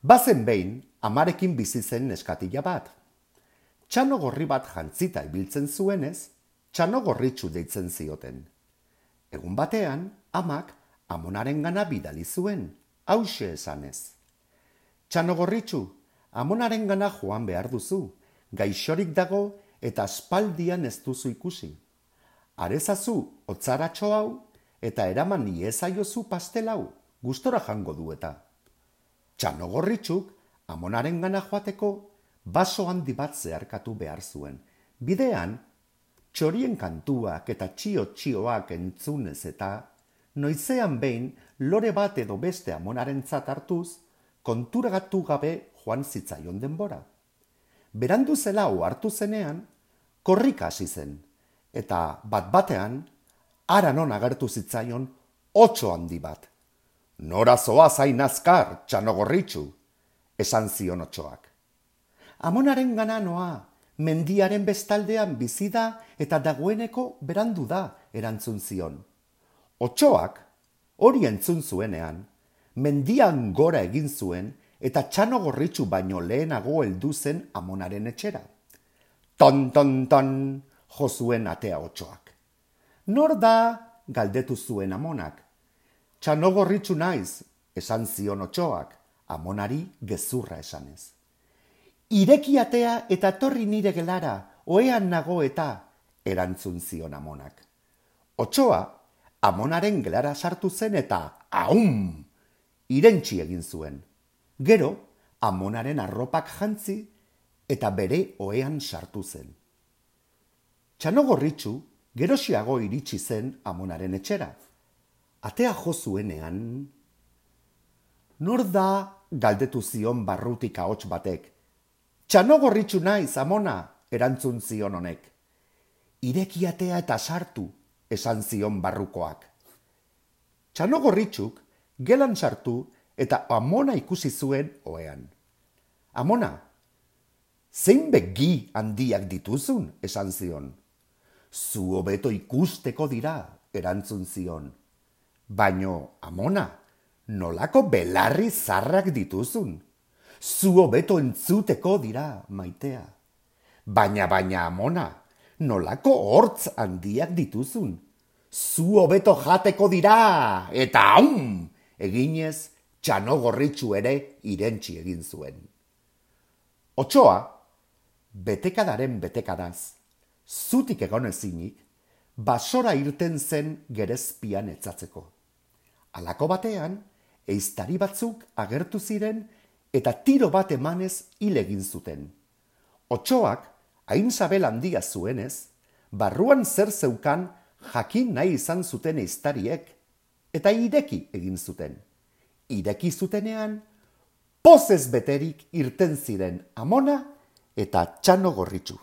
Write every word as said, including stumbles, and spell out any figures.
Bazen behin, amarekin bizi zen neskatila bat. Txano gorri bat jantzita ibiltzen zuenez, txano gorritxu deitzen zioten. Egun batean, amak amonaren gana bidali zuen, hauxe esanez. Txano gorritxu, amonaren gana joan behar duzu, gaixorik dago eta aspaldian ez duzu ikusi. Arezazu otzaratxo hau eta eraman iezaiozu pastel hau, gustora jango du eta. Txano gorritxuk, amonaren gana joateko, baso handi bat zeharkatu behar zuen. Bidean, txorien kantuak eta txio-txioak entzunez eta, noizean behin lore bat edo beste amonarentzat hartuz, konturagatu gabe joan zitzaion denbora. Berandu zela ohartu zenean, korrika hasi zen, eta bat-batean, hara non agertu zitzaion otso handi bat. Nora zoa zain azkar, txano gorritxu, esan zion otsoak. Amonaren gana noa, mendiaren bestaldean bizi da eta dagoeneko berandu da, erantzun zion. Otsoak, hori entzun zuenean, mendian gora egin zuen eta txano gorritxu baino lehenago heldu zen amonaren etxera. Ton, ton, ton, jo zuen atea otsoak. Nor da, galdetu zuen amonak. Txano gorritxu naiz, esan zion otsoak, amonari gezurra esanez. Ireki atea eta torri nire gelara, ohean nago eta, erantzun zion amonak. Otsoa, amonaren gelara sartu zen eta, aum, irentsi egin zuen. Gero, amonaren arropak jantzi eta bere ohean sartu zen. Txano gorritxu, gerosiago iritsi zen amonaren etxera. Atea jo zuenean, nor da, galdetu zion barrutik ahots batek. Txano gorritxu naiz, amona, erantzun zion honek. Ireki atea eta sartu, esan zion barrukoak. Txano gorritxuk gelan sartu eta amona ikusi zuen ohean. Amona, zein begi handiak dituzun, esan zion. Zu hobeto ikusteko dira, erantzun zion. Baino, amona, nolako belarri zarrak dituzun. Zu hobeto entzuteko dira, maitea. Baina, baina, amona, nolako hortz handiak dituzun. Zu hobeto jateko dira, eta aum, eginez, txano gorritxu ere irentsi egin zuen. Otsoa, betekadaren betekadaz, zutik egon ezinik, basora irten zen gerezpian etzatzeko. Halako batean, ehiztari batzuk agertu ziren eta tiro bat emanez hil egin zuten. Otsoak, hain sabel handia zuenez, barruan zer zeukan jakin nahi izan zuten ehiztariek, eta ireki egin zuten. Ireki zutenean, pozez beterik irten ziren amona eta txano gorritxu.